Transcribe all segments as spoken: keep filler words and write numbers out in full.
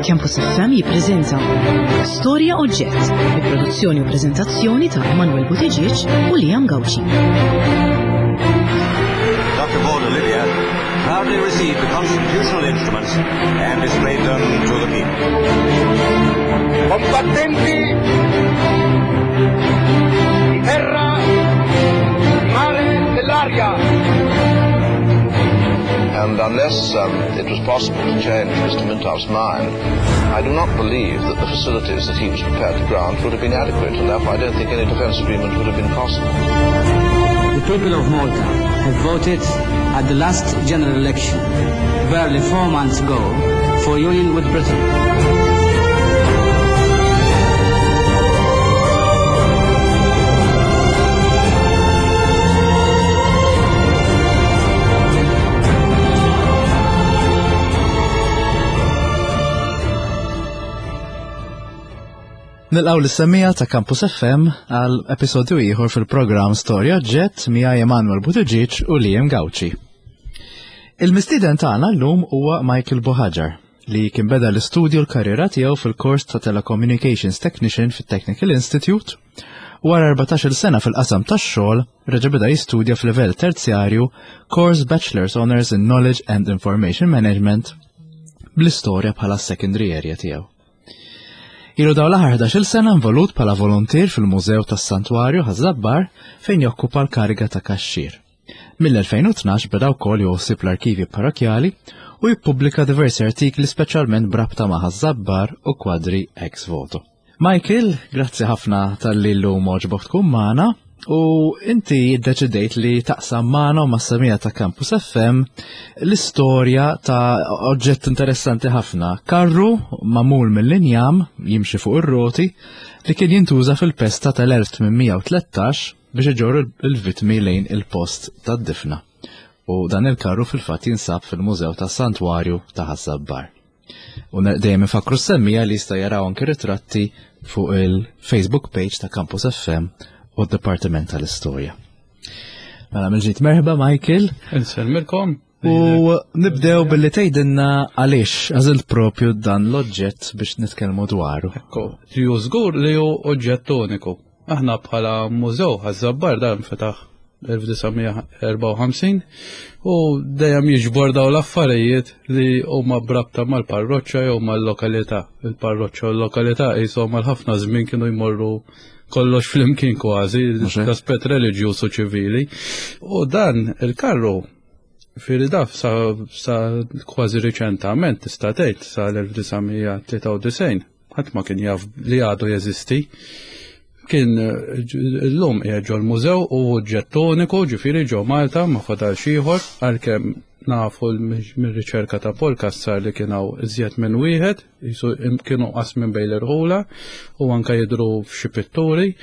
Campus F M jippreżenta Storja Oġġett bi produzzjoni u preżentazzjoni ta' Emanuel Buttigieg u Liam Gauci. Doctor Borg Olivia proudly received the constitutional instruments and displayed them to the people. Combattenti di terra, di mare, dell'aria. And unless, um, it was possible to change Mister Mintoff's mind, I do not believe that the facilities that he was prepared to grant would have been adequate, and therefore I don't think any defence agreement would have been possible. The people of Malta have voted at the last general election, barely four months ago, for union with Britain. Nilqgħu lis-semmiegħa ta' Campus F M għal episodju ieħor fil-programm Storja Oġġett miegħi Emanuel Buttigieg u Liam Gauci. Il-mistieden tagħna llum huwa Michael Buhagiar li kien beda l-istudju l-karriera tiegħu fil-kors ta' Telecommunications Technician fit-Technical Institute u wara erbatax-il sena fil-qasam tax-xogħol reġa' beda jistudja f'livell terzjarju Course Bachelor's Honors in Knowledge and Information Management bl-istorja bħala secondary area tiegħu. Ilu dawn l-aħħar ħdax-il sena involut bħala volontier fil-Mużew tas-Santwarju Ħaż-Żabbar fejn jokkupa l-kariga ta' kaxxier. Mill-elfejn u tnax beda wkoll joħsib l-arkivi parrokjali u jippubblika diversi artikli speċjalment b'rabta ma' Ħaż-Żabbar u kwadri ex voto. Michael, grazzi ħafna tal-li llum għoġbok tkun magħna u inti ddeċidejt li taqsam magħna u mas-semija ta' Campus F M l-istorja ta' oġġett interessanti ħafna, karru magħmul mill-injam jimxi fuq ir-roti li kien jintuża fil-pesta tal-elf tmien mija u tlettax biex iġorru il-vittmi lejn il-post tad-difna. U dan il-karru fil-fatt jinsab fil-Mużew tas-Santwarju ta' Ħaż-Żabbar. U ne-, dejjem infakru s-semmija li jista' jaraw anke ritratti fuq il-Facebook page ta' Campus F M u d-Dipartiment tal-Istorja. Mela mill-ġdid merħba Michael. Insellmilkom. U nibdew billi tgħidilna għaliex għażilt propju dan l-oġġett biex nitkellmu dwaru. Ekku, li hu żgur li hu oġġett uniku. Aħna bħala mużew Ħaż-Żabbar dan fetaħ elf disa' mija erbgħa u ħamsin u dejjem jiġbor dawn l-affarijiet li huma brabta mal-parroċċa jew mal-lokalità. Il-parroċċa u l-lokalità qishom għal ħafna żmien kienu jmorru kollox flimkien kważi, Mhux hekk? l-aspett reliġjuż u ċivili. U dan il-karru fil-daf sa, sa kważi riċentament tista' tgħid sa l-elf disa' mija tlieta u disgħin, ħadd ma kien jaf li għadu jeżisti. Kien illum qiegħed ġol-mużew u oġġett uniku, ġifieri ġo Malta ma fadalx ieħor, għalkemm nafu mir-riċerka ta' Paul Cassar li kien hawn iżjed minn wieħed, jisu kienu qas minn bejn l-irħula u anke jidhru f'xi pitturi,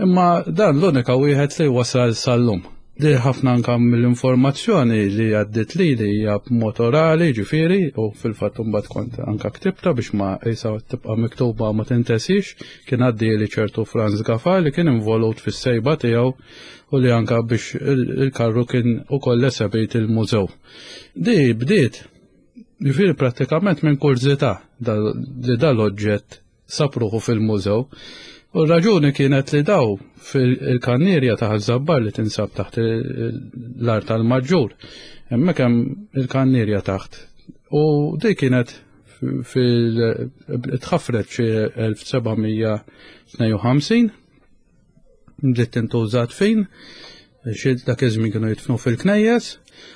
imma dan l-unika wieħed li wasal sal-lum. Di ħafna anke mill-informazzjoni li għaddit li li hija b'mod orali, ġifieri, u fil-fatt imbagħad kont anke ktibta biex ma qisha tibqa' miktuba ma tintesix, kien għaddi li ċertu Franz Gafà li kien involut fis-sejba tiegħu u li anke biex il-, il-karru kien ukoll esebit il-mużew. Di bdiet, ġifieri prattikament minn kurżità dal-, li dal-oġġett sapruħu fil-mużew. U r-raġuni kienet li daw fil-kannierja ta' Ħaż-Żabbar li tinsab taħt l-art tal-Maġġur, hemmhekk hemm il-kannierja taħt. U di kienet fil-, tħaffret xi elf seba' mija tnejn u ħamsin, bdiet tintuża tfin, xi dak iż-żmien kienu jitfnu fil-knejjes,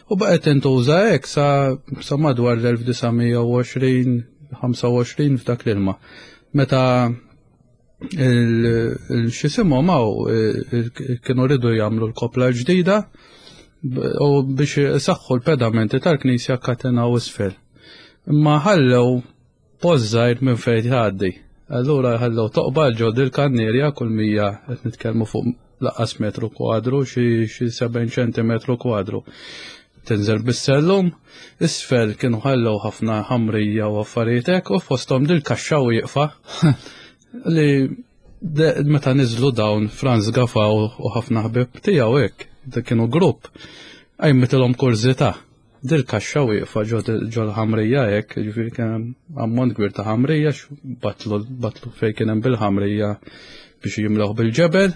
u baqgħet tintuża hekk sa, sa madwar l-elf disa' mija u għoxrin, ħamsa u għoxrin f'dak l-ilma. Meta il-, il-xisimhom hawn, il-, il-, kienu rridu jagħmlu l-kopla ġdida b-, u biex isaħħu l-pedamenti tal-knisja katenaw isfel. Imma ħallew post żgħir minn fejn tgħaddi. Allura ħallew toqba ġo dil-kannierja kull mija qed nitkellmu fuq laqqas metru kwadru, xi, xi sebgħin ċentimetru kwadru. Tinżel bis-sellum, isfel kienu ħallew ħafna ħamrija u affarijiet hekk u fosthom dil-kaxxa wieqfa li de-, meta niżlu dawn Franz Gafà u, u ħafna ħbieb tiegħu hekk, dak kienu grupp, qajmitilhom kurżità Dil-kaxxa wieqfa ġo l-ħamrija hekk, jiġifieri kien hemm ammont kbir ta' ħamrija, batlu batlu fejn kien hemm bil-ħamrija biex jimlewh bil-ġebel,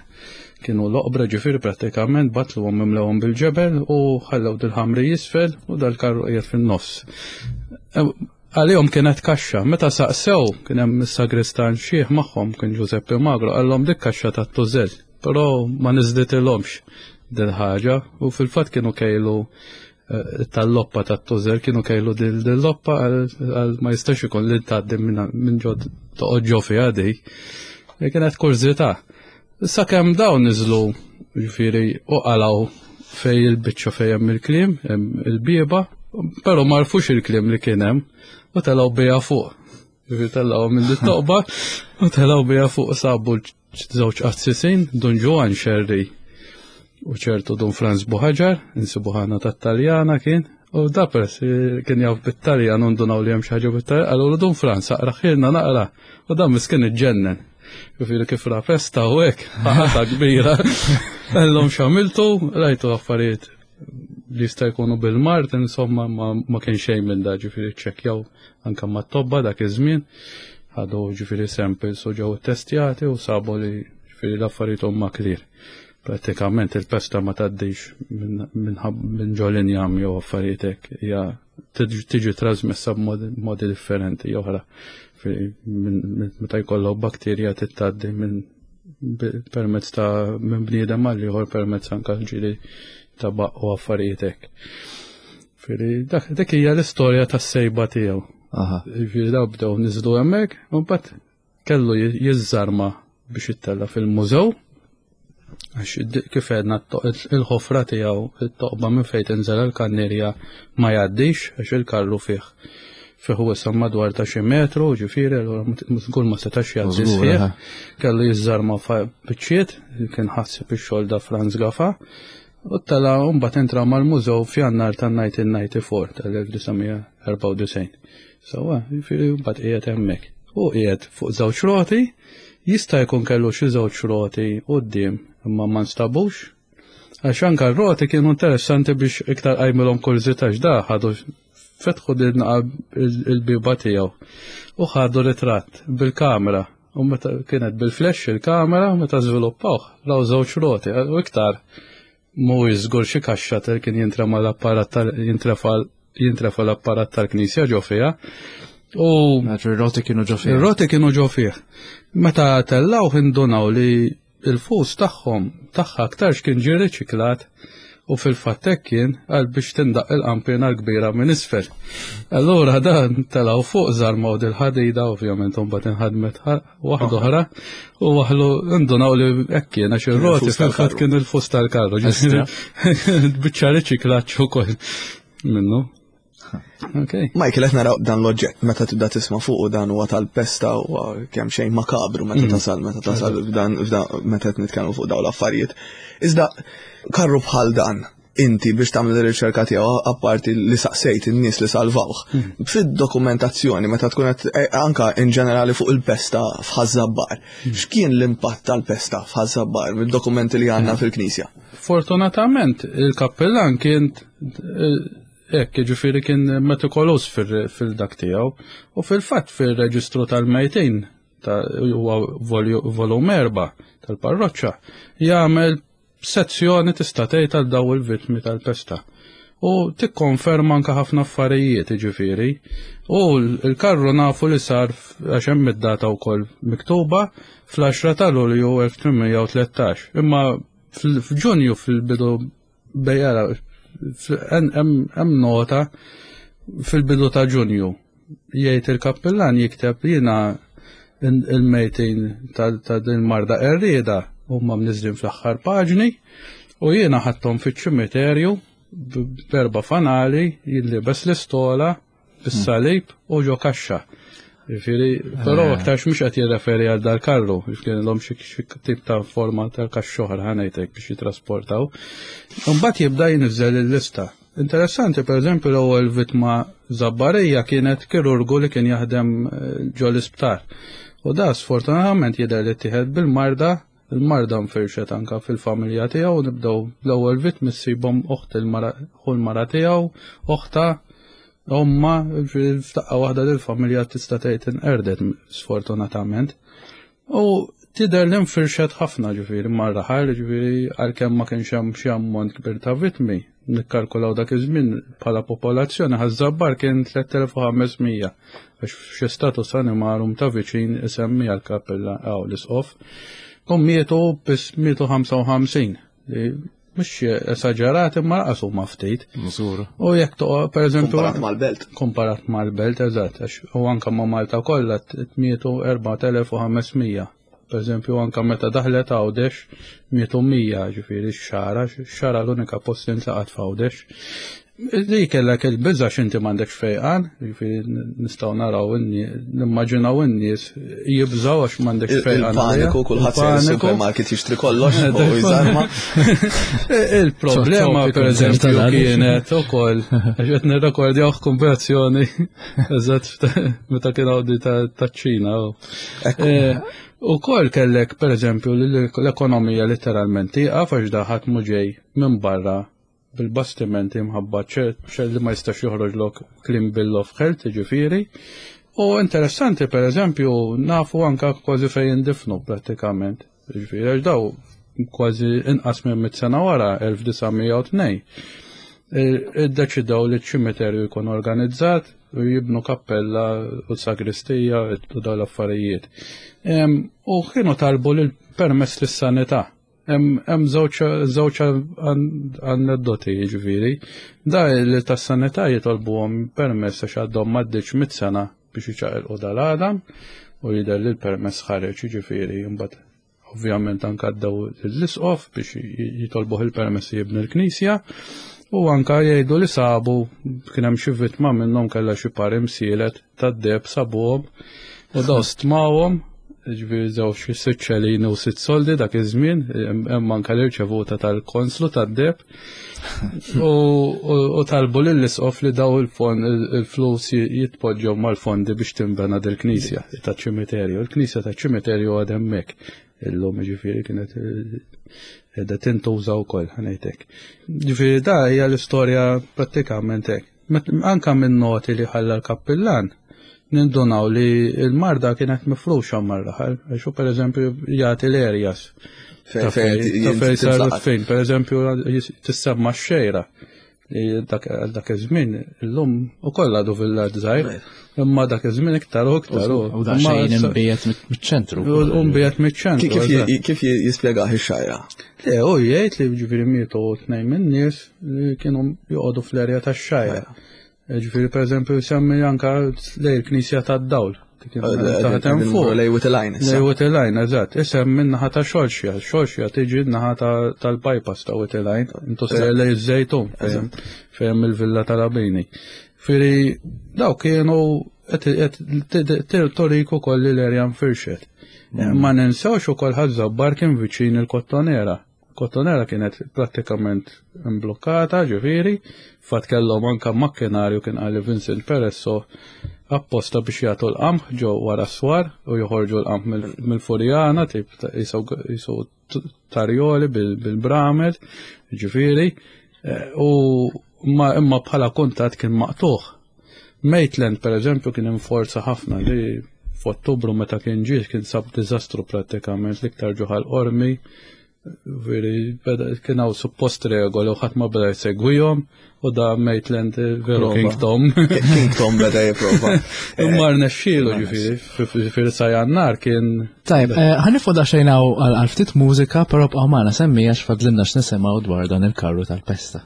kienu l-oqbra ġifieri prattikament batluhom imlewhom bil-ġebel u ħallew dil-ħamrija isfel u dal-karru qiegħed fin-nofs. Għalihom kienet kaxxa, meta saqsew kien hemm is-sagristan xiħ magħhom kien Giuseppe Magro, qallhom dik kaxxa tat-tużell, però ma niżditilhomx dil-ħaġa u fil-fatt kienu kejlu tal-loppa tat-tużel, kienu kejlu dil-loppa għal ma jistax ikun li tgħaddi minn ġo toqgħod ġo fiha di. Kienet kurżità. Issa kemm dawn niżlu ġifieri u qalgħu fej il-biċċa fejn hemm il-kliem, hemm il-bieba, però ma għarfux il-kliem li kien hemm u telgħu biha fuq. Ġifieri telgħu minn dit-toqba u telgħu biha fuq, sabu żewġ qassisin, Dun Ġwann Xerri u ċertu Dun Franz Buħaġar, insibu ħana tat-Taljana kien, u da peress kien jaf bit-Taljan u ndunaw li hemm xi ħaġa bit-Taljan, qalulu Dun Franz aqraħilna naqra, u dan miskin iġġennen. Ġifieri kif ra pesta u hekk, ħata kbira. Qallhom x'għamiltu, rajtu affarijiet li jista' jkunu bil-mard, insomma ma kien xejn minn da, ġifieri ċċekkjaw anke mat-tobba dak iż-żmien, ħadu ġifieri samples u ġew ittestjati u sabu li ġifieri l-affarijiet huma clear. Pratikament il-pesta ma tgħaddix minn ġo l-injam jew affarijiet hekk, hija tiġi trasmessa b'modi differenti oħra. Meta jkollok bakterja tgħaddi minn permezz ta' minn bniedem għal ieħor permezz anke ġieli ta' baq u affarijiet hekk. Dik hija l-istorja tas-sejba tiegħu. Ġifieri daw bdew niżlu hemmhekk u mbagħad kellu jiżżarma biex jittella' fil-mużew. Għax kif għedna il-ħofra tiegħu it-toqba minn fejn tinżel il-kannierja ma jgħaddix għax il-karru fih fih wisa madwar ta' xi metru, ġifieri allura żgur ma setax jgħaddi sħiħ. Kellu jiżżarma biċċiet, kien ħassib ix-xogħol da Franz Gafa, u tela' mbagħad entra mal-mużew f'Jannar tan-nineteen ninety-four tal-elf disa' mija erbgħa u disgħin. Sewwa, ġifieri mbagħad qiegħed hemmhekk. U qiegħed fuq żewġ roti, jista' jkun kellu xi żewġ roti quddiem imma ma nstabux. Għax anke r-roti kienu interessanti biex iktar qajmilhom kurżità għax da ħadu fetħu din il-biba tiegħu u ħadu ritratt bil-kamera u meta kienet bil-flash il-kamera meta żviluppawh raw żewġ roti u iktar mhuwiex żgur xi kaxxa tal kien jintrema l-apparat tal jintrefa jintrefa l-apparat tal-knisja ġo fiha. U Għax ir-roti kienu ġo fih. Ir-roti kienu ġo fih. Meta tellgħu indunaw li il-fus tagħhom tagħha aktarx kien ġie riċiklat u fil-fatt hekk kien għal biex tindaq il-qampina l-kbira minn isfel. Allura dan telgħu fuq żarmaw dil-ħadida, ovvjament imbagħad inħadmet waħda oħra u waħlu indunaw li hekk kien għax ir-roti Il-fus tal-karru. fil-fatt kien il-fus tal-karru. Estra. Biċċa riċiklaġġ ukoll minnu. Okay. Michael, qed naraw dan l-oġġett meta tibda tisma' fuq u dan huwa tal-pesta u kemm xejn makabru meta Mm. tasal, meta tasal f'dan, f'dan, meta qed nitkellmu fuq dawn l-affarijiet. Iżda karru bħal dan, inti biex tagħmel ir-riċerka tiegħu apparti li saqsejt in-nies li salvawh. Mm. Fid-dokumentazzjoni meta tkun qed, eh, anka in ġenerali fuq il-pesta f'Ħaż-Żabbar, Mm. x'kien l-impatt tal-pesta f'Ħaż-Żabbar mid-dokumenti li għandna fil-Knisja? Fortunatament il-kappellan kien, eh, hekk, jiġifieri kien metikolus fil-, fil-dak tiegħu u fil-fatt fil-reġistru tal-mejtin ta' huwa volju-, volum erba' tal-parroċċa jagħmel sezzjoni tista' tgħid għal daw il-vittmi tal-pesta. U tikkonferma anke ħafna affarijiet, jiġifieri. U l-, il-karru nafu li sar f-, għax hemm id-data wkoll miktuba fl-għaxra ta' Lulju elf tmien mija u tlettax. Imma fl-, f'Ġunju fil-bidu bejjara hemm nota fil-bidu ta' Ġunju jgħid il-kappellan jikteb jiena il-mejtin ta', ta' din marda qerrieda huma mniżlin fl-aħħar paġni u jiena ħadthom fiċ-ċimiterju b'erba' fanali jillibes l-istola bis-salib u ġo kaxxa. Jiġifieri, però Eh. aktarx mhux qed jirreferi għal dal-karru, jiġifieri kellhom xi, xi tip ta' forma tal-kaxxa oħra ħanejtek biex jitrasportaw. Imbagħad jibda jinżel il-lista. Interessanti, per eżempju, l-ewwel vittma Żabbarija kienet kirurgu li kien jaħdem, eh, ġo l-isptar. U da sfortunatament jidher li ttieħed bil-marda Il-marda nfirxet anka fil-familja tiegħu, nibdew l-ewwel vittmi ssibhom oħt il-mara, ħu l-mara tiegħu, oħta, omma, f'daqqa waħda lill-familja tista' tgħid inqerdet sfortunatament. U tidher li nfirxet ħafna ġifieri mar-raħal, ġifieri għalkemm ma kienx hemm xi ammont kbir ta' vittmi, nikkalkulaw dak iż-żmien bħala popolazzjoni Ħaż-Żabbar kien tliet elef u ħames mija, għax f'xi status animarum ta' viċin isemmi għall-kappella hawn l-isqof. U mietu biss mietu ħamsa u ħamsin, li mhux esaġerat imma laqas huma ftit. Żgur. U jekk toqgħod pereżempju Komparat mal-belt. Komparat mal-belt, eżatt, għax u anke ma' Malta kollha mietu erbat elef u ħames mija. Per eżempju, anke meta daħlet Għawdex mietu mija, ġifieri x-xara, x-xara l-unika post li ntlaqat f'Għawdex. Li kellek il-biża' x'inti m'għandekx fejqan, ġifieri nistgħu naraw in-nie-, nimmaġinaw in-nies jibżgħu għax m'għandekx Il- fejqan għalija. Il-paniku, kulħadd sejjer Il-paniku. is-supermarket jixtri kollox u jżarma. Il-problema, Topic per eżempju, tal-għaliex. kienet ukoll, għax qed nirrekordjaw kombinazzjoni, eżatt meta kien hawn di ta', taċ-Ċina. Eh, ukoll kellek, per eżempju, l-ekonomija letteralment tieqaf għax daħat mhu ġej minn barra bil-bastimenti mħabba ċer li ma jistax joħroġlok clean bill of health, ġifieri. U interessanti, per eżempju, nafu anka kważi fejn jindifnu prattikament. Ġifieri, għax daw kważi inqas minn mitt sena wara, elf disa' mija u tnejn, iddeċidew li ċ-ċimiterju jkun organizzat u jibnu kappella u sagristija u dawn l-affarijiet. Em, u kienu talbu lil permess lis-sanità. Hemm, hemm żewġ, żewġ an-, aneddoti, jiġifieri. Da li tas-sanità jitolbuhom permess għax għadhom m'għaddietx mitt sena biex iċaqilqu dal-għadam u jidher li l-permess ħareġ, jiġifieri, imbagħad ovvjament anke għaddew l-isqof biex j-, jitolbuh il-permess jibni l-knisja. U anka jgħidu li sabu kien hemm xi vittma minnhom kellha xi par imsielet tad-deheb sabuhom u daw stmawhom, ġifieri żewġ xi sitt ċelini u sitt soldi dak iż-żmien, hemm, hemm anke l-irċevuta tal-konslu tad-deheb. U, u, u talbu lill-isqof li daw il-fond, il-flus jitpoġġew mal-fondi biex tinbena dil-knisja taċ-ċimiterju. Il-knisja taċ-ċimiterju għad hemmhekk illum, ġifieri kienet qiegħda tintuża wkoll, ħanejtek. Ġifieri da hija l-istorja prattikament hekk. Met-, anka minn noti li ħalla l-kappillan, nindunaw li l-marda kienet mifruxa mar-raħal, għax hu pereżempju jagħti l-areas. Fejn- Ta' fejn fejn- jint- ta' fejn saru tintlaqat. fejn, pereżempju, jis-, tissemma x-xejra. Li dak, għal dak iż-żmien illum ukoll għadu villaġġ żgħir, imma dak iż-żmien iktar u iktar u U da imma xejn issa imbiegħed mit-, miċ-ċentru. U mbiegħed miċ-ċentru, Kif eżatt. ji-, kif ji-, jispjegah ix-xajra? Le, u jgħid li ġifieri mietu tnejn min-nies li kienu joqogħdu fl-erja tax-xajra. Ġifieri pereżempju jsemmi anka lej il-Knisja tad-Dawl. Kien Eh, eh, taħt hemm eh, fuq. Lej Witilajn issa. Lej Witilajn, eżatt. Isem minn naħa ta' Xorxja. Xorxja tiġi naħa ta', tal-bypass ta' Witilajn. Intu sejjer lej iż-Żejtun, fejn, fejn il-Villa tal-Abini. Fieri daw kienu qed, qed t-, t-, t-, torik ukoll li l-erja nfirxet. Mm. Ma ninsewx ukoll Ħaż-Żabbar kien viċin il-Kottonera. Kottonera kienet prattikament imblokkata, ġifieri, fatt kellhom anka makkinarju kien qal Vincent Peresso apposta biex jagħtu l-qamħ ġew wara s-swar u joħorġu l-qamħ mill-, mill-Furjana, tip ta' jisu, jisu t-, tarjoli bil-, bil-bramel, ġifieri, eh, u ma, imma bħala kuntatt kien maqtuħ. Maitland, per eżempju, kien inforza ħafna li f'Ottubru meta kien ġie kien sab diżastru prattikament l-iktar ġuħal qormi, veri, beda, kien hawn suppost regoli u ħadd ma beda jsegwihom u da Maitland veru Prova. King Tom. King Tom beda jipprova. Imma rnexxielu, ġifieri, ġifieri sa Jannar kien Tajb, eh, ħanifu daqsxejn hawn għal, għal ftit mużika, però bqgħu magħna semmi għax fadlilna x'nisimgħu dwar dan il-karru tal-pesta.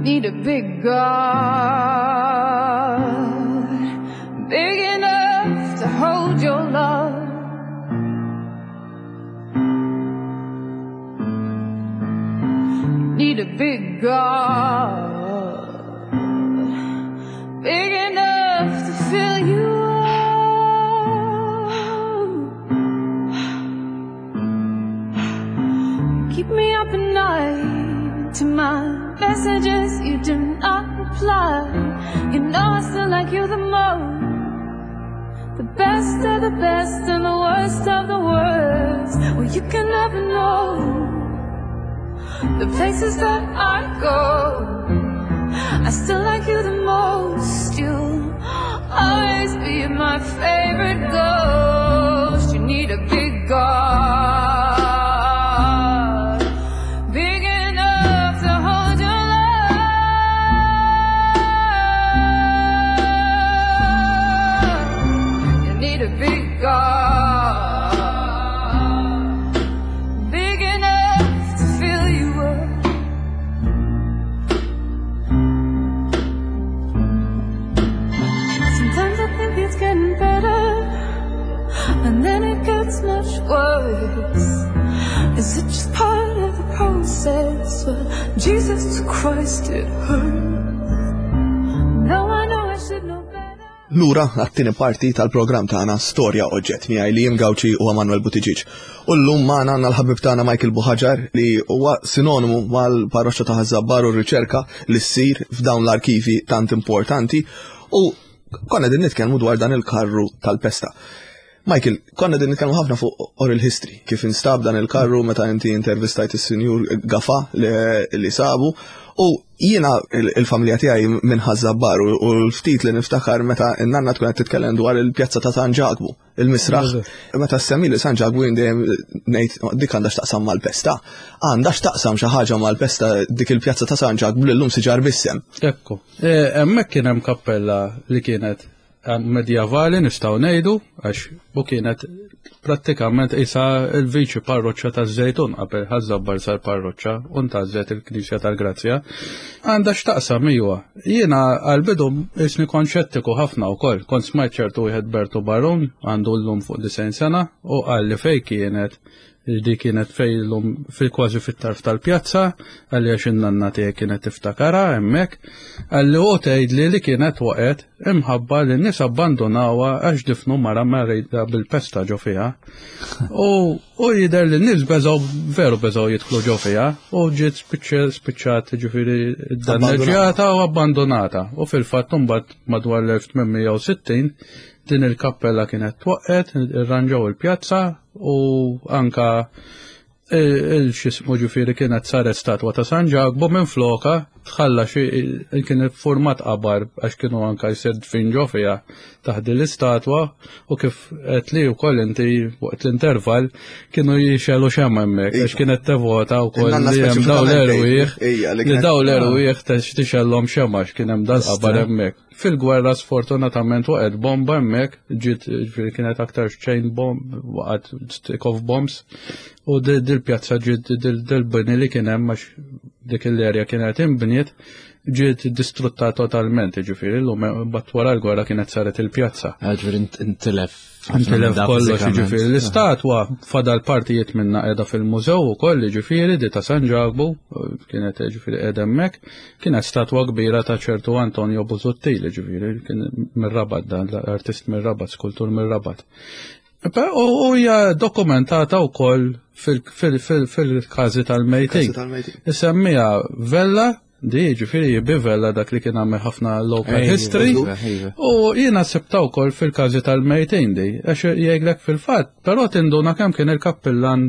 Need a big God, big enough to hold your love. You need a big God Keep me up at night. To my messages you do not reply. You know I still like you the most. The best of the best and the worst of the worst. Well, you can never know the places that I go. I still like you the most. You'll always be my favorite ghost. You need a big God, big enough to hold your love. You need a big God, big enough to fill you up. Sometimes I think it's getting better, and then it gets much worse. Is it just part of the process? Well, Jesus Christ, it hurts. No, I know I should know better. Lura għat-tieni parti tal-programm tagħna Storja Oġġett miegħi Liam Gauci u Emanuel Buttigieg. U llum magħna għandna l-ħabib tagħna Michael Buhagiar li huwa sinonimu mal-parroċċa ta' Ħaż-Żabbar u r-riċerka li ssir f'dawn l-arkivi tant importanti u konna din nitkellmu dwar dan il-karru tal-pesta. Michael, konna din nitkellmu ħafna fuq oral history, kif instab dan il-karru meta inti intervistajt is-Sinjur Gafa li, li sabu, u jiena il-familja tiegħi minn Ħaż-Żabbar u l-ftit li niftakar meta n-nanna tkun qed titkellem dwar il-pjazza ta' San Ġakbu, il-misraħ. Meta semmi li San Ġakbu jien dejjem ngħid dik għandha x'taqsam mal-pesta. Għandha x'taqsam xi ħaġa mal-pesta dik il-pjazza ta' San Ġakbu li llum siġar b'isem. Ekku. Hemmhekk kien hemm kappella li kienet medjavali nistgħu ngħidu għax u kienet prattikament isa il-viċi parroċċa taż-Żejtun qabel Ħaż-Żabbar sar parroċċa u ntażlet il-Knisja tal-Grazzja. Għandha x'taqsam iwa. Jiena għall-bidu isni kont xettiku ħafna wkoll. Kont smajt ċertu wieħed Bertu Barun għandu llum fuq disgħin sena u qal li fej kienet di kienet fej llum fil-kważi fit-tarf tal-pjazza, għalli għax in-nanna tiegħi kienet tiftakara hemmhekk, għalli u tgħidli li kienet waqgħet imħabba li n-nies abbandonawha għax difnu mara marida bil-pesta ġo fiha. U u jidher li n-nies beżgħu veru beżgħu jidħlu ġo fiha u ġiet spiċċat ġifieri danneġġjata u abbandonata. U fil-fatt imbagħad madwar l-elf tmien mija u sittin din il-kappella kienet twaqqet, irranġaw il-pjazza u anka il-xismu ġifieri kienet saret statwa ta' San Ġakbu minn floka tħalla xi kien format qabar għax kienu anka jsir dfin ġo fiha taħt l-istatwa u kif qed li wkoll inti waqt l-intervall kienu jixelu xemma hemmhekk għax kienet tevota wkoll li hemm daw l-erwieħ li daw l-erwieħ tixellhom xemma għax kien hemm dal-qabar hemmhekk. Fil-gwerra sfortunatament waqgħet bomba hemmhekk, ġiet ġifieri kienet aktar chain bomb, waqgħet stick of bombs u dil-pjazza ġiet dil-bini li kien hemm għax dik l-erja kienet inbniet ġiet distrutta totalment, ġifieri llum bat wara l-gwerra kienet saret il-pjazza. Ġifieri intilef. Intilef kollox, ġifieri l-istatwa fadal partijiet minna qiegħda fil-mużew ukoll, ġifieri di ta' San Ġakbu kienet ġifieri qiegħda hemmhekk, kienet statwa kbira ta' ċertu Antonio Busuttil, ġifieri kien mir-Rabat dan, l-artist mir-Rabat, skultur mir-Rabat. U hija dokumentata wkoll fil-każi tal-mejtin. Isemmija Vella, di ġifieri jibi Vella dak li kien għamel ħafna local history. U jiena sibta wkoll fil-każi tal-mejtin di, għax jgħidlek fil-fatt, però tinduna kemm kien il-kappillan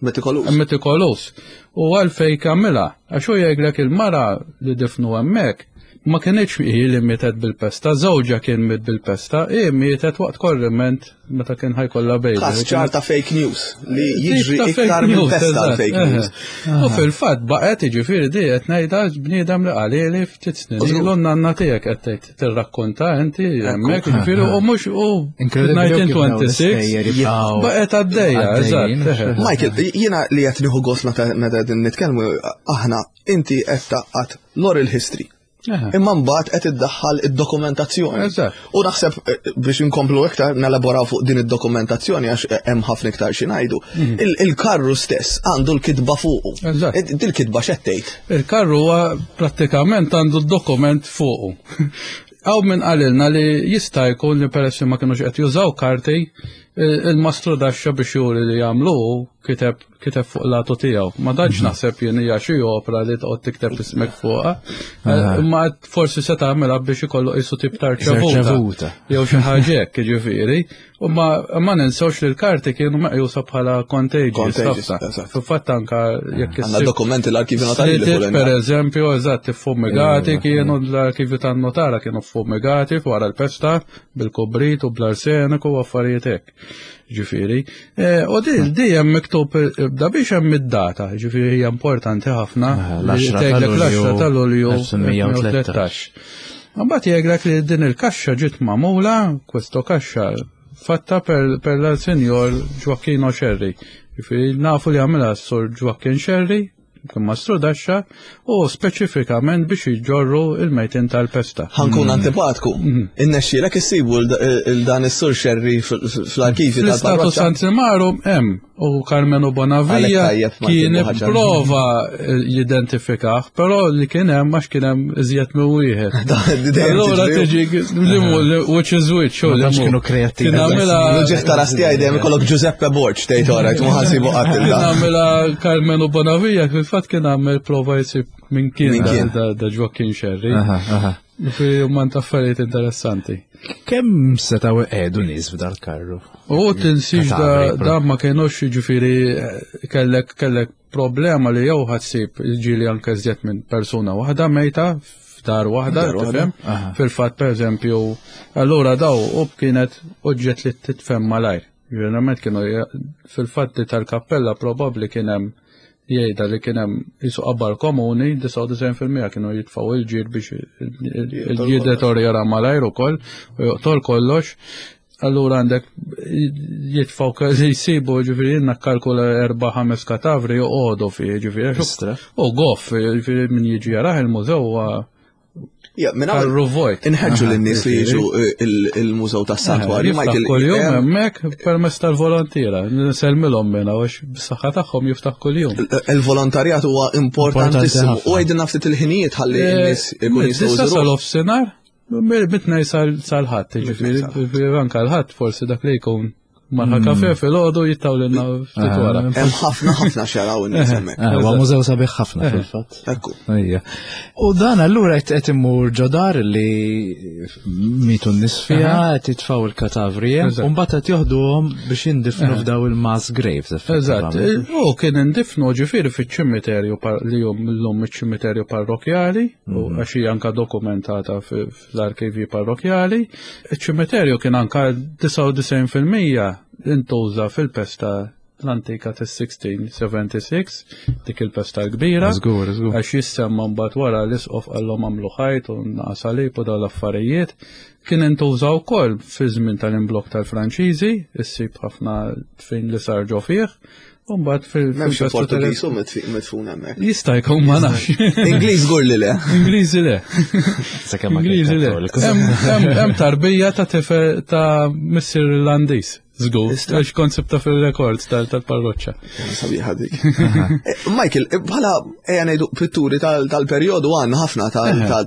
Metikolus. Metikolus. U għalfej kamila, għax hu jgħidlek il-mara li difnu hemmhekk ma kienx hi li mietet bil-pesta, żewġha kien miet bil-pesta, hi mietet waqt korriment meta kien ħajkollha baby. Każ ċar ta' fake news li jiġri Tip ta' iktar fake minn news, pesta eżatt, fake eħe. news. U fil-fatt baqgħet jiġifieri di qed ngħidha bniedem li qalili ftit snin Użgur. ilu nanna tiegħek qed tgħid tirrakkonta inti hemmhekk jiġifieri u mhux u Incredible kif dawn nineteen twenty-six l-istejjer jibqgħu baqgħet għaddejja, għaddejjin, eżatt. eħe. Michael, jiena li qed nieħu gost meta meta qegħdin nitkellmu aħna inti qed taqgħad l-oral history. Eħe. Imma mbagħad qed iddaħħal id-dokumentazzjoni. Eżatt. U naħseb eh, biex inkomplu iktar nelaboraw fuq din id-dokumentazzjoni għax eh, hemm ħafna iktar xi ngħidu. Il- Il-karru stess għandu l-kitba fuqu. Eżatt. Eh, Dil-kitba x'qed tgħid? Il-karru huwa prattikament għandu d-dokument fuqu. Għaw minn qalilna li jista' jkun li peress li ma kienux qed jużaw karti, il-mastru daxxa biex juri li jagħmlu kiteb kiteb fuq latu tiegħu. Ma tantx naħseb jien hija xi opra li toqgħod tikteb ismek fuqha. Imma forsi se tagħmilha biex ikollu qisu tip ta' rċevuta. Jew xi ħaġa hekk, jiġifieri. U ma ma ninsewx li l-karti kienu meqjusa bħala contagious. Fil-fatt anka jekk Għandna dokumenti l-arkivju notarili. Per eżempju, eżatt, iffumigati kienu l-arkivju tan-notara kienu ffumigati wara l-pesta bil-kubrit u bl-arseniku u affarijiet hekk. Ġifieri. U di di hemm miktub da biex hemm id-data, ġifieri hija importanti ħafna. L-għaxra ta' Lulju elf disa' mija u tlettax. Mbagħad jgħidlek li din il-kaxxa ġiet magħmula, questo kaxxa fatta per, per la signor Gioacchino Scerri. Ġifieri nafu li għamilha s-sur Joaquin Scerri, kien mastru daxxa, u speċifikament biex jġorru il-mejtin tal-pesta. Ħa nkun antipatku. Innexxielek issibu il-dan is-sur Scerri fl-arkivi tal-parroċċa. Fl-Istatu Santimarum hemm u Carmenu Bonavia kien prova jidentifikah, però li kien hemm għax kien hemm iżjed minn wieħed. Allura tiġi which is which. Ma kienu kreattivi. Kien għamilha L-ġieħ ta' rasti dejjem ikollok Giuseppe Borg tgħid ora, ma ħasibu qatt Kien għamilha Carmenu Bonavia fil-fatt kien għamel prova jsib minn kien da Joaquin Scerri. Fi man affarijiet interessanti. Kemm setgħu iqiegħdu nies f'dal-karru? U tinsix da ma kienux ġifieri kellek kellek problema li jew ħassib ġieli anke iżjed minn persuna waħda mejta f'dar waħda, tifhem? Fil-fatt pereżempju, allura daw u kienet oġġett li titfhem malajr. Ġeneralment kienu fil-fatt tal-kappella probabbli kien hemm jgħidha li kien hemm qisu qabar komuni, disgħa u disgħin fil-mija kienu jitfgħu il-ġir biex il-ġir deterjora malajr ukoll u joqtol kollox. Allura għandek jitfgħu li jsibu ġifieri jiena kalkula erba' ħames katavri joqogħdu fih ġifieri. U goff, ġifieri min jiġi jarah il-mużew huwa Karru vojt. Inħeġġu lin-nies li jiġu il-mużew tas-santwarju. Michael kuljum hemmhekk permezz tal-volontiera. Nsellmilhom minna għax bis-saħħa tagħhom jiftaħ kuljum. Il-volontarjat huwa importantissimu. U għidilna ftit il-ħinijiet ħalli n-nies ikun jistgħu Disa sal-offsinar, mit-tnejn sal-ħadd, ġifieri anke l-ħadd forsi dak li jkun marħa kafe fil-ħodu jittawlilna ftit wara. Hemm ħafna ħafna xaraw in-nies hemmhekk. Huwa mużew sabiħ ħafna fil-fatt. Ekku. U dan allura qed imur ġodar li mitu n-nies fiha, qed jitfgħu il-katavri u mbagħad qed joħduhom biex jindifnu f'daw il-mass graves. Eżatt. U kien indifnu ġifieri fiċ-ċimiterju li jum llum iċ-ċimiterju parrokjali, u għax hija anka dokumentata fl-arkivi parrokjali. Iċ-ċimiterju kien anka disgħa u disgħin fil-mija intuża fil-pesta l-antika tas-sixteen seventy-six, dik il-pesta l-kbira. Żgur, żgur. Għax jissemma mbagħad wara l-isqof qallhom għamlu ħajt u naqas salib u dawn l-affarijiet. Kien intuża wkoll fi żmien tal-imblok tal-Franċiżi, issib ħafna fejn li sar ġo fih. U mbagħad fil- M'hemmx fil-pesta tal- Portugiż u midfun hemmhekk. Jista' jkun, ma nafx. Ingliż żgur li le. Ingliżi le. Sakemm ma Ingliżi le. Kattoliku. Hemm hemm tarbija ta' tifel ta' missier Irlandiż. Żgur, għax kont sibta fil-records tal-parroċċa. Sabiħa dik. Eh, Michael, eh, bħala ejja ngħidu pitturi tal-perjodu għandna ħafna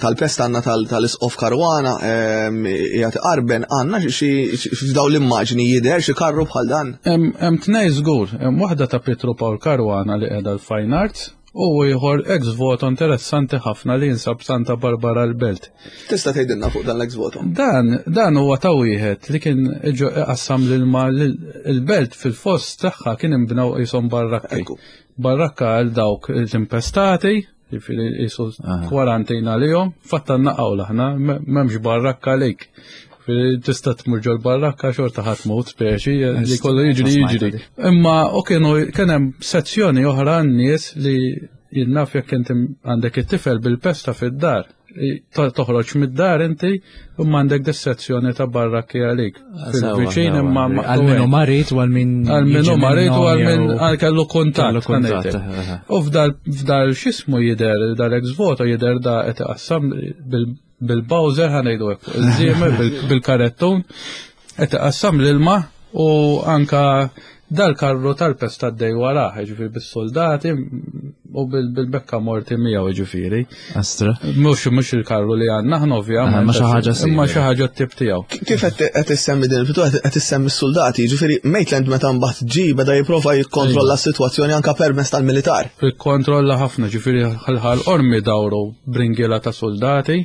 tal-pesta, għandna tal-Isqof Caruana, qiegħed qarben, għandna xi f'daw l-immaġni jidher xi karru bħal dan. Hemm tnej żgur, hemm waħda ta' Pietro Paul Caruana li qiegħda l-Fine Arts u ieħor ex voto interessanti ħafna li jinsab Santa Barbara l-Belt. Tista' tgħidilna fuq dan l-ex voto? Dan dan huwa ta' wieħed li kien qassam l-ilma il-belt. Fil-fost tagħha kien imbnew qishom barrakki. Barrakka għal dawk l-impestati, jiġifieri qisu kwarantina lihom, fatta naqgħu aħna m'hemmx barrakka għalik. Tista' tmur ġol barrakka xorta ħadd mut speċi li kollu jiġri jiġri. Imma u kienu kien hemm sezzjoni oħra n-nies li jinnaf jekk inti għandek it-tifel bil-pesta fid-dar, toħroġ mid-dar inti u għandek dis-sezzjoni ta' barrakki għalik. Fil-viċin imma għal min hu marid u għal min għal min hu marid u għal min għal kellu kuntatt. U f'dal f'dal x'ismu jidher dal-ex voto jidher da qed iqassam bil-bowser, ħa ngħidu hekk, il-żiemel bil-karettun qed iqassam l-ilma u anka dal-karru tal-pesta għaddej warah, ġifieri bis-soldati. U bil-bekka morti miegħu ġifieri. Astra. Mhux mhux il-karru li għandna aħna ovvjament. Ma xi ħaġa Imma xi ħaġa t-tip tiegħu. Kif qed issemmi din il-pittura qed issemmi s-soldati, ġifieri Maitland meta mbagħad ġie beda jipprova jikkontrolla s-sitwazzjoni anke permezz tal-militar. Ikkontrolla ħafna, ġifieri Ħal Qormi dawru bringiela ta' soldati.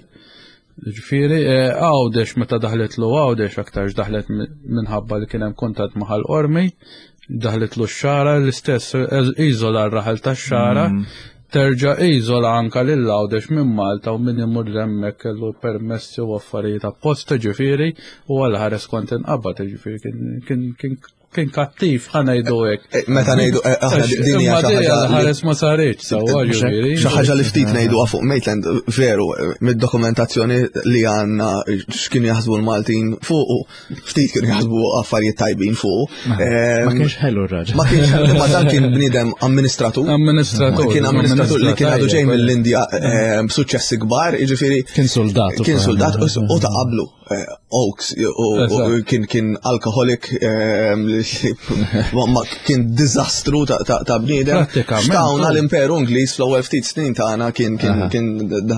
Ġifieri Għawdex meta daħlet lu Għawdex aktarx daħlet minħabba li kien hemm kuntatt ma' Ħal Qormi. Daħlet lu x-Xagħra, l-istess iżola r-raħal tax-Xagħra, terġa' iżola anka lil Għawdex minn Malta u min imur hemmhekk kellu permessi u affarijiet apposta ġifieri u għal ħares kont inqabad ġifieri kien kien kien kattiv ħa ngħidu hekk. Meta ngħidu aħna din hija xi ħaġa ħares ma saritx sewwa ġifieri. Xi ħaġa li ftit ngħiduha fuq Maitland veru mid-dokumentazzjoni li għandna x'kienu jaħsbu l-Maltin fuq ftit kienu jaħsbu affarijiet tajbin fuq. Ma kienx ħelu r-raġel. Ma kienx ħelu, ma dan kien bniedem amministratur. Amministratur. Kien amministratur li kien għadu ġej mill-Indja b'suċċessi kbar, jiġifieri. Kien soldat. Kien soldat u ta' qablu. Oaks u kien kien alkoholik, ma kien diżastru ta' bniedem. Xtawna l-Imperu Ingliż fl-ewwel ftit snin tagħna kien kien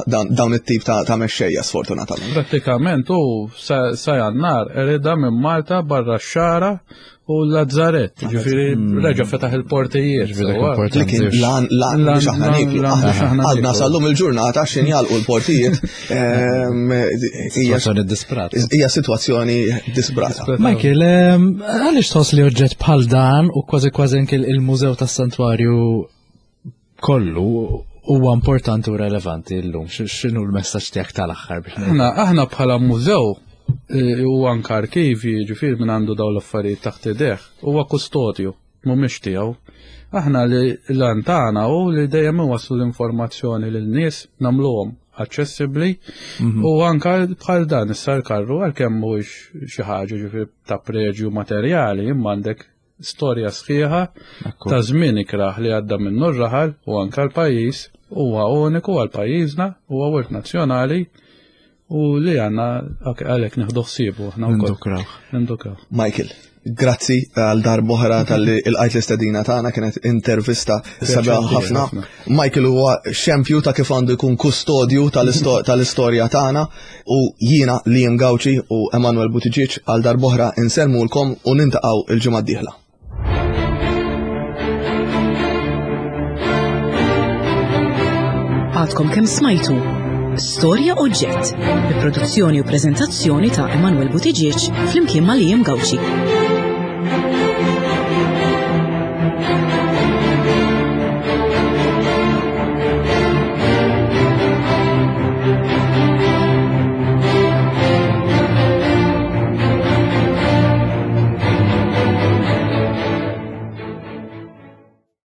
dawn it-tip ta' mexxejja sfortunatament. Prattikament u sa Jannar erida minn Malta barra x-Xagħra u l-Lazzaret, ġifieri reġa' fetaħ il-portijiet. Li kien lan lan biex aħna nieklu. Għadna sal-lum il-ġurnata x'in jalqu l-portijiet. Sitwazzjoni disprata. Hija sitwazzjoni disprata. Michael, għaliex tħoss li oġġett bħal dan u kważi kważi anke il-Mużew tas-Santwarju kollu huwa importanti u relevanti llum? X'inhu l-messaġġ tiegħek tal-aħħar biex Aħna aħna bħala mużew u anka arkivi, ġifieri minn għandu dawn l-affarijiet taħt idejh, huwa kustodju, mhumiex tiegħu. Aħna li l-għan tagħna hu li dejjem iwasslu l-informazzjoni lin-nies, nagħmluhom aċċessibbli u anka bħal dan issa l-karru għalkemm mhuwiex xi ħaġa ġifieri ta' preġju materjali, imma għandek storja sħiħa ta' żmien ikrah li għadda minnu r-raħal u anka l-pajjiż huwa uniku għal pajjiżna, huwa wirt nazzjonali u li għanna għalek nieħdu ħsiebu aħna wkoll. Nindukraw. Nindukraw. Michael, grazzi għal darb'oħra tal-li il-qajt l-istedina tagħna, kienet intervista sabiħa ħafna. Michael huwa xempju ta' kif għandu jkun kustodju tal-istorja tagħna u jiena Liam Gauci u Emanuel Buttigieg għal darb'oħra insellmulkom u nintaqgħu il-ġimgħa d-dieħla. Għadkom kemm smajtu Storja Oġġett, bi produzzjoni u preżentazzjoni ta' Emanuel Buttigieg flimkien ma' Liam Gauci.